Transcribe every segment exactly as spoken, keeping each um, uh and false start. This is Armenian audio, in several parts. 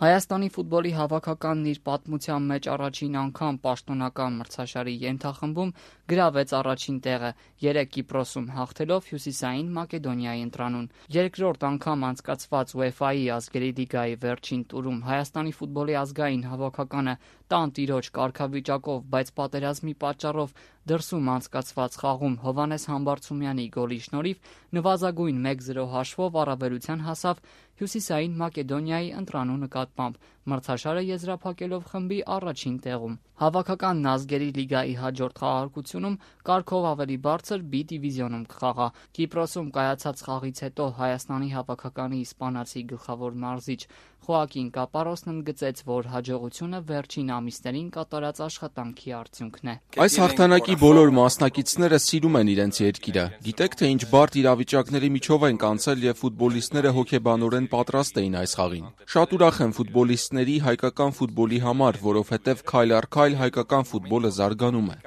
Հայաստանի ֆուտբոլի հավաքականն իր պատմության մեջ առաջին անգամ պաշտոնական մրցաշարի ենթախմբում գրավեց առաջին տեղը, երեք Կիպրոսում հաղթելով Հյուսիսային Մակեդոնիայի ընտրանուն։ Երկրորդ անգամ անցկացված ՈւԵՖԱ-ի ազգերի լիգայի վերջին տուրում Հայաստանի ֆուտբոլի ազգային հավաքականը տանտիրոջ կարգավիճակով, բայց պատերազմի պատճառով դրսում անցկացված խաղում Հովհաննես Համբարձումյանի գոլի շնորհիվ նվազագույն մեկ զրո հաշվով առավելության հասավ Հյուսիսային Մակեդոնիայի ընտրանու նկատմամբ, մրցաշարը եզրափակելով խմբի առաջին տեղում։ Հավաքականն ազգերի լիգայի հաջորդ խաղարկությունում կարգով ավելի բարձր B դիվիզիոնում կխաղա։ Կիպրոսում կայացած խաղից հետո Հայաստանի հավաքականի իսպանացի գլխավոր մարզիչ Խոակին Կապարոսն ընդգծեց, որ հաջողությունը վերջին ամիսներին կատարած աշխատանքի արդյունքն է։ Այս հաղթանակի բոլոր մասնակիցները սիրում են իրենց երկիրը։ Գիտեք, թե ինչ բարդ իրավիճակների միջով ենք անցել եւ ֆուտբոլիստները հոգեբանորեն պատրաստ էին այս խաղին։ Շատ ուրախ եմ ֆուտբոլիստների, հայկական ֆուտբոլի համար, որովհետեւ քայլ առ քայլ հայկական ֆուտբոլը զարգանում է։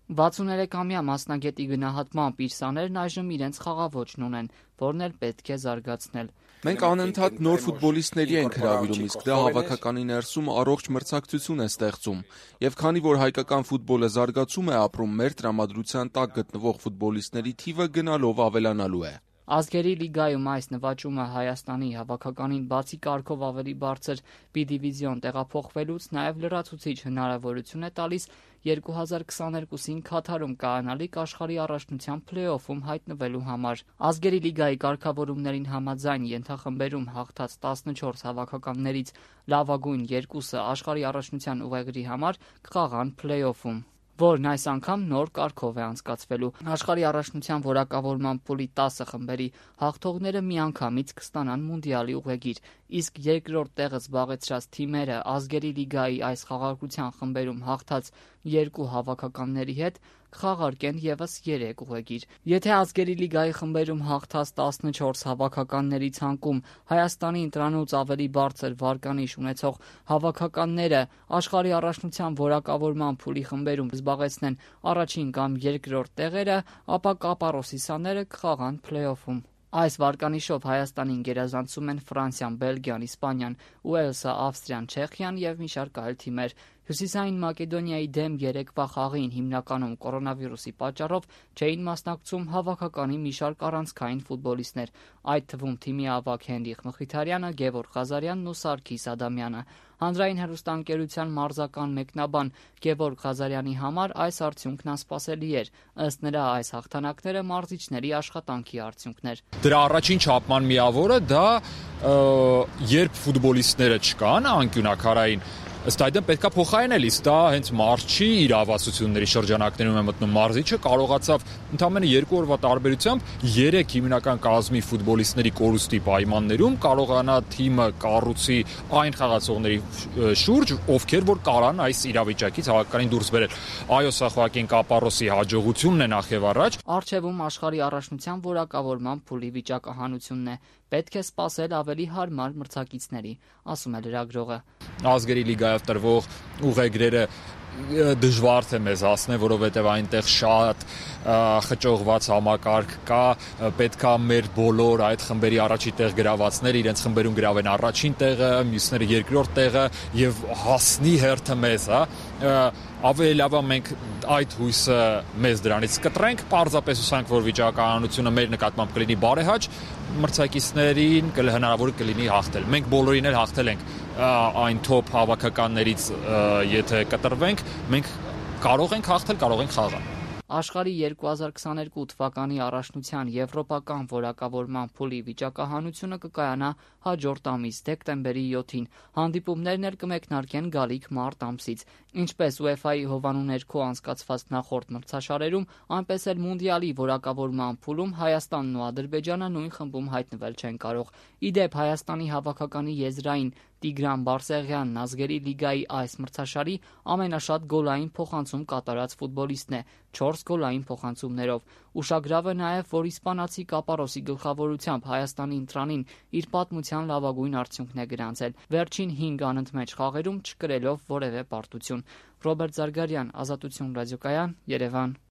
վաթսուներեքամյա մասնագետի գնահատմամբ իր սաներն այժմ իրենց խաղաոճն ունեն, որն էլ պետք է զարգացնել։ Մենք անընդհատ նոր ֆուտբոլիստների ենք հրավիրում, իսկ դա հավաքականի ներսում առողջ մրցակցություն է ստեղծում։ Եվ քանի որ հայկական ֆուտբոլը զարգացում է ապրում, մեր տրամադրության տակ գտնվող ֆուտբոլիստների թիվը գնալով ավելանալու է։ Ազգերի լիգայում այս նվաճումը Հայաստանի հավաքականին բացի կարգով ավելի բարձր B դիվիզիոն տեղափոխվելուց նաև լրացուցիչ հնարավորություն է տալիս երկու հազար քսաներկուսին Քաթարում կայանալիք աշխարհի առաջնության փլեյօֆում հայտնվելու համար։ Ազգերի լիգայի կարգավորումներին համաձայն ենթախմբերում հաղթած տասնչորս հավաքականներից լավագույն երկուսը աշխարհի առաջնության ուղեգրի համար կխաղան փլեյօֆում, որն այս անգամ նոր կարգով է անցկացվելու։ Աշխարհի առաջնության որակավորման փուլի տասը խմբերի հաղթողները միանգամից կստանան մունդիալի ուղեգիր, իսկ երկրորդ տեղը զբաղեցրած թիմերը ազգերի լիգայի այս խաղարկության խմբերում հաղթած երկու հավաքականների հետ կխաղարկեն եւս երեք ուղեգիր։ Եթե ազգերի լիգայի խմբերում հաղթած տասնչորս հավաքականների ցանկում Հայաստանի ընտրանուց ավելի բարձր վարկանիշ ունեցող հավաքականները աշխարհի առաջնության որակավորման փուլի խմբերում զբաղեցնեն առաջին կամ երկրորդ տեղերը, ապա Կապարոսի սաները կխաղան փլեյօֆում։ Այս վարկանիշով Հայաստանին գերազանցում են Ֆրանսիան, Բելգիան, Իսպանիան, Ուելսը, Ավստրիան, Չեխիան եւ մի շարք այլ թիմեր։ Հյուսիսային Մակեդոնիայի դեմ երեկվա խաղին հիմնականում կորոնավիրուսի պատճառով չէին մասնակցում հավաքականի մի շարք առանցքային ֆուտբոլիստներ, այդ թվում թիմի ավագ Հենրիխ Մխիթարյանը, Գևորգ Ղազարյանն ու Սարգիս Ադամյանը։ Հանրային հեռուստաընկերության մարզական մեկնաբան Գևորգ Ղազարյանի համար այս արդյունքն անսպասելի էր։ Ըստ նրա, այս հաղթանակները մարզիչների աշխատանքի արդյունքն էր։ Դրա առաջին չափման միավորը դա երբ ֆուտբոլիստները չկան անկյունակարային, ըստ այդմ պետքա փոխարինել, իսկ դա հենց մարզչի իրավասությունների շրջանակներում է մտնում։ Մարզիչը կարողացավ ընդամենը երկու օրվա տարբերությամբ երեք հիմնական կազմի ֆուտբոլիստների կորուստի պայմաններում կարողանա թիմը կառուցի այն խաղացողների շուրջ, ովքեր որ կարան այս իրավիճակից հավաքականին դուրս բերել։ Այո, սա Խոակին Կապարոսի հաջողությունն է նախ եւ առաջ։ Առջևում աշխարհի առաջնության որակավորման փուլի վիճակահանությունն է։ Պետք է սպասել ավելի հարմար մրցակիցների, ասում է լրագրողը։ Ազգերի լիգայով տրվող ուղեգրերը դժվար թե մեզ հասնեն, որովհետև այնտեղ շատ խճողված համակարգ կա, պետքա մեր բոլոր այդ խմբերի առաջի տեղ գրավածները իրենց խմբերում գրավեն առաջին տեղը, մյուսները երկրորդ տեղը եւ հասնի հերթը մեզ, հա։ Ավելի լավ է մենք այդ հույսը մեզ դրանից կտրենք, պարզապես հուսանք, որ վիճակահանությունը մեր նկատմամբ կլինի բարեհաճ, մրցակիցներին հնարավոր կլինի հաղթել։ Մենք բոլորին էլ հաղթել ենք այն թոփ հավաքականներից, եթե կտրվենք, մենք կարող ենք հաղթել, կարող ենք խաղալ։ Աշխարհի երկու հազար քսաներկու թվականի առաջնության եվրոպական որակավորման փուլի վիճակահանությունը կկայանա հաջորդ ամիս դեկտեմբերի յոթին։ Հանդիպումներն էլ կմեկնարկեն գալիք մարտ ամսից։ Ինչպես ՈւԵՖԱ-ի հովանու ներքո անցկացված նախորդ մրցաշարերում, այնպես էլ մունդիալի որակավորման փուլում Հայաստանն ու Ադրբեջանը նույն խմբում հայտնվել չեն կարող։ Ի դեպ, Հայաստանի հավաքականի եզրային Տիգրան Բարսեղյանն ազգերի լիգայի այս մրցաշարի ամենաշատ գոլային փոխանցում կատարած ֆուտբոլիստն է՝ չորս գոլային փոխանցումներով։ Ուշագրավ է նաև, որ իսպանացի Կապարոսի գլխավորությամբ Հայաստանի ընտրանին իր պատմության լավագույն արդյունքն է գրանցել, վերջին հինգ անընդմեջ խաղերում չկրելով որևէ պարտություն։ Ռոբերտ Զարգարյան, Ազատություն ռադիոկայան, Երևան։